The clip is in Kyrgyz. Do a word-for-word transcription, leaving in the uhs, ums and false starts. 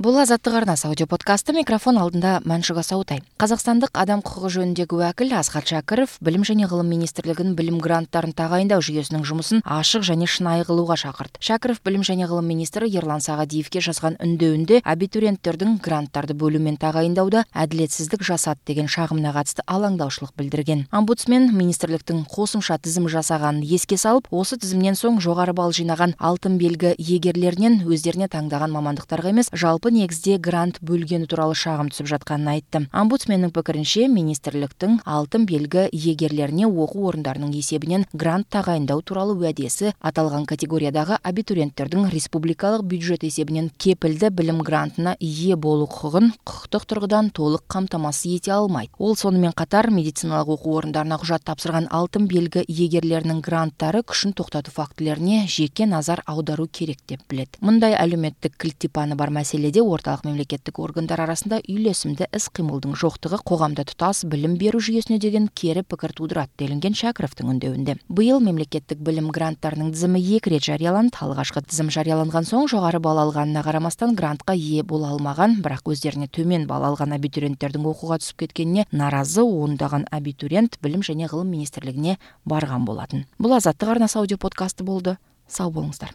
Бул Азаттык арнасы аудио подкасты. Микрофон алдында Маншуга Саутай. Казакстандык адам укугу жөнүндөгү убакил Асхат Шакиров Билим жана Гылым министрлигинин билим гранттарын тагайындоо жүйөсүнүн жумусун ашык жана шынайы кылууга чакырды. Шакиров Билим жана Гылым министри Ерлан Сагадиевге жазган үндөөүндө абитуриенттердин гранттарды бөлүү менен тагайындауда адилетсиздик жасады деген шагымына катысты алаңдаушылык билдирген. Омбудсмен министрликтин косумча тизим жасаганын эске салып, осы тизимден соң жогору балл жыйнаган алтын белги ээлеринен өздерине таңдаган мамандыктарга эмес, жалпы негизде грант бөлгөнү тууралуу шагым түсүп жатканын айтты. Омбудсмендин пикиринче, министрликтин алтын белги ээлерине окуу орундарынын эсебинен грант тагайындоо тууралуу уадеси аталган категориядагы абитуриенттердин республикалык бюджет эсебинен кепилди билим грантына ээ болуу укугун кукуктук тургудан толук камтамасыз эте алмайт. Ол сонун менен катар медициналык окуу орундарына кужат тапшырган алтын белги ээлеринин гранттары күшүн токтотуу фактилерине жеке назар аударуу керек деп билет. Мындай әлеуметтик килтипаны бар маселеде орталык мамлекеттик органдар арасында үйлесимдүү ис-кыймылдын жоктугу коомдо тутас билим берүү жүйөсүнө деген кери пикир туудурат делинген Шакировдун үндөөүндө. Быйыл мамлекеттик билим гранттарынын тизими эки ирет жарыяланды. Алгачкы тизим жарыяланган соң жогору балл алганына карамастан грантка ээ боло алмаган, бирок өздөрүнө төмөн балл алган абитуриенттердин окууга түсүп кеткенине нааразы ондаган абитуриент Билим жана Гылым министрлигине барган болатын. Бул Азаттык арнасы аудио подкасты болду. Сау болуңуздар.